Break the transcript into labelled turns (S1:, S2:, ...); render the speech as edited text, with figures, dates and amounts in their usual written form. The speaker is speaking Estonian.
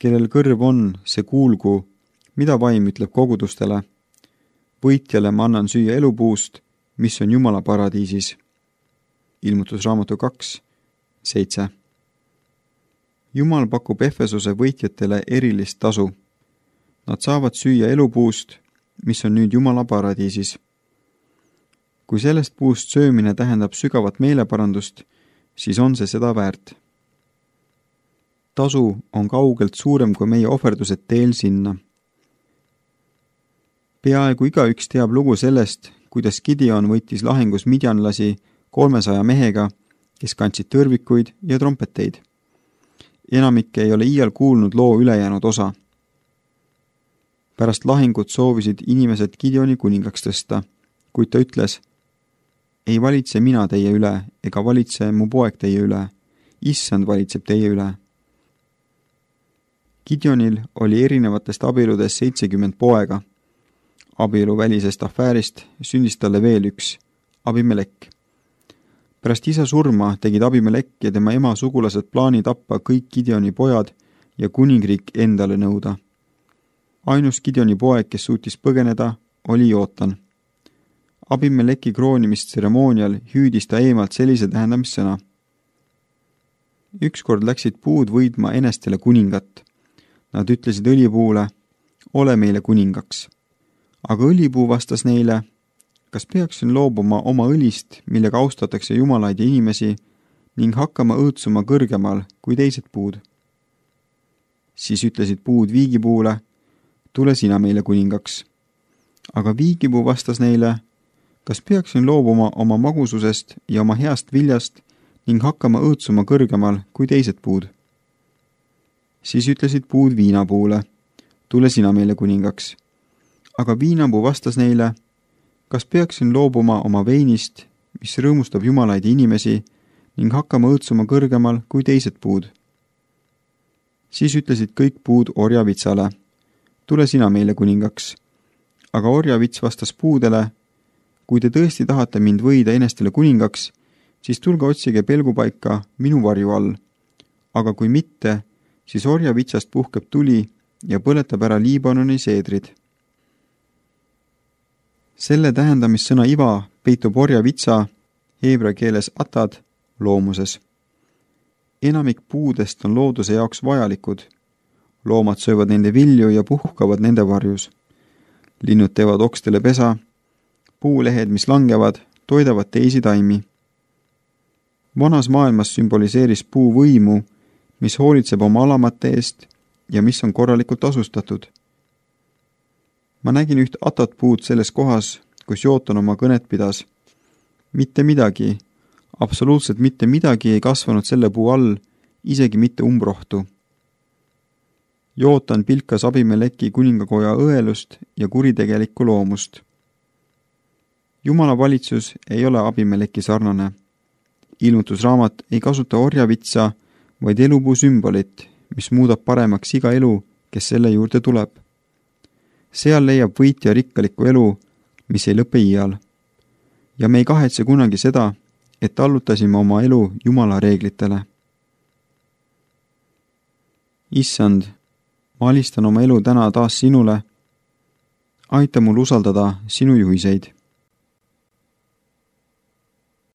S1: kellel kõrv on, see kuulgu, mida vaim ütleb kogudustele. Võitjale ma annan süüa elupuust, mis on Jumala paradiisis. Ilmutusraamatu 2:7. Jumal pakub Efesuse võitjatele erilist tasu. Nad saavad süüa elupuust, mis on nüüd Jumala paradiisis. Kui sellest puust söömine tähendab sügavat meeleparandust, siis on see seda väärt. Tasu on kaugelt suurem kui meie ohverdused teel sinna. Peaaegu igaüks teab lugu sellest, kuidas Gideon võitis lahingus midjanlasi 300 mehega, kes kandsid tõrvikuid ja trompeteid. Enamik ei ole iial kuulnud loo ülejäänud osa. Pärast lahingut soovisid inimesed Gideoni kuningaks tõsta, kuid ta ütles, ei valitse mina teie üle ega valitse mu poeg teie üle, issand valitseb teie üle. Gideonil oli erinevatest abieludest 70 poega. Abieluvälisest afäärist sündis talle veel üks, Abimelekk. Pärast isa surma tegid Abimelekk ja tema ema sugulased plaani tappa kõik Gideoni pojad ja kuningriik endale nõuda. Ainus Gideoni poeg, kes suutis põgeneda, oli Jootan. Abimeleki kroonimistseremoonial hüüdis ta eemalt sellise tähendamissõna. Ükskord läksid puud võidma enestele kuningat. Nad ütlesid õlipuule, ole meile kuningaks. Aga õlipuu vastas neile, kas peaksin loobuma oma õlist, millega austatakse jumalaid ja inimesi, ning hakkama õõtsuma kõrgemal kui teised puud. Siis ütlesid puud viigipuule, tule sina meile kuningaks. Aga viigipuu vastas neile, kas peaksin loobuma oma magususest ja oma heast viljast ning hakkama õõtsuma kõrgemal kui teised puud. Siis ütlesid puud viinapuule, tule sina meile kuningaks. Aga viinapuu vastas neile, kas peaksin loobuma oma veinist, mis rõõmustab jumalaid ja inimesi, ning hakkama õõtsuma kõrgemal kui teised puud. Siis ütlesid kõik puud orjavitsale, tule sina meile kuningaks. Aga orjavits vastas puudele, kui te tõesti tahate mind võida enestele kuningaks, siis tulge otsige pelgupaika minu varju all. Aga kui mitte, siis orjavitsast puhkeb tuli ja põletab ära Liibanoni seedrid. Selle tähendamissõna iva peitub orjavitsa, heebrea keeles atad, loomuses. Enamik puudest on looduse jaoks vajalikud. Loomad söövad nende vilju ja puhkavad nende varjus. Linnud teevad okstele pesa, puulehed, mis langevad, toidavad teisi taimi. Vanas maailmas sümboliseeris puu võimu, mis hoolitseb oma alamate eest ja mis on korralikult tasustatud. Ma nägin üht atatpuud selles kohas, kus Jootan oma kõnet pidas. Mitte midagi, absoluutselt mitte midagi ei kasvanud selle puu all, isegi mitte umbrohtu. Jootan pilkas Abimeleki kuningakoja õelust ja kuritegelikku loomust. Jumala valitsus ei ole Abimeleki sarnane. Ilmutusraamat ei kasuta orjavitsa, vaid elupuu sümbolit, mis muudab paremaks iga elu, kes selle juurde tuleb. Seal leiab võitja rikkalikku elu, mis ei lõpe iial. Ja me ei kahetse kunagi seda, et allutasime oma elu Jumala reeglitele. Issand, ma alistan oma elu täna taas sinule. Aita mul usaldada sinu juhiseid.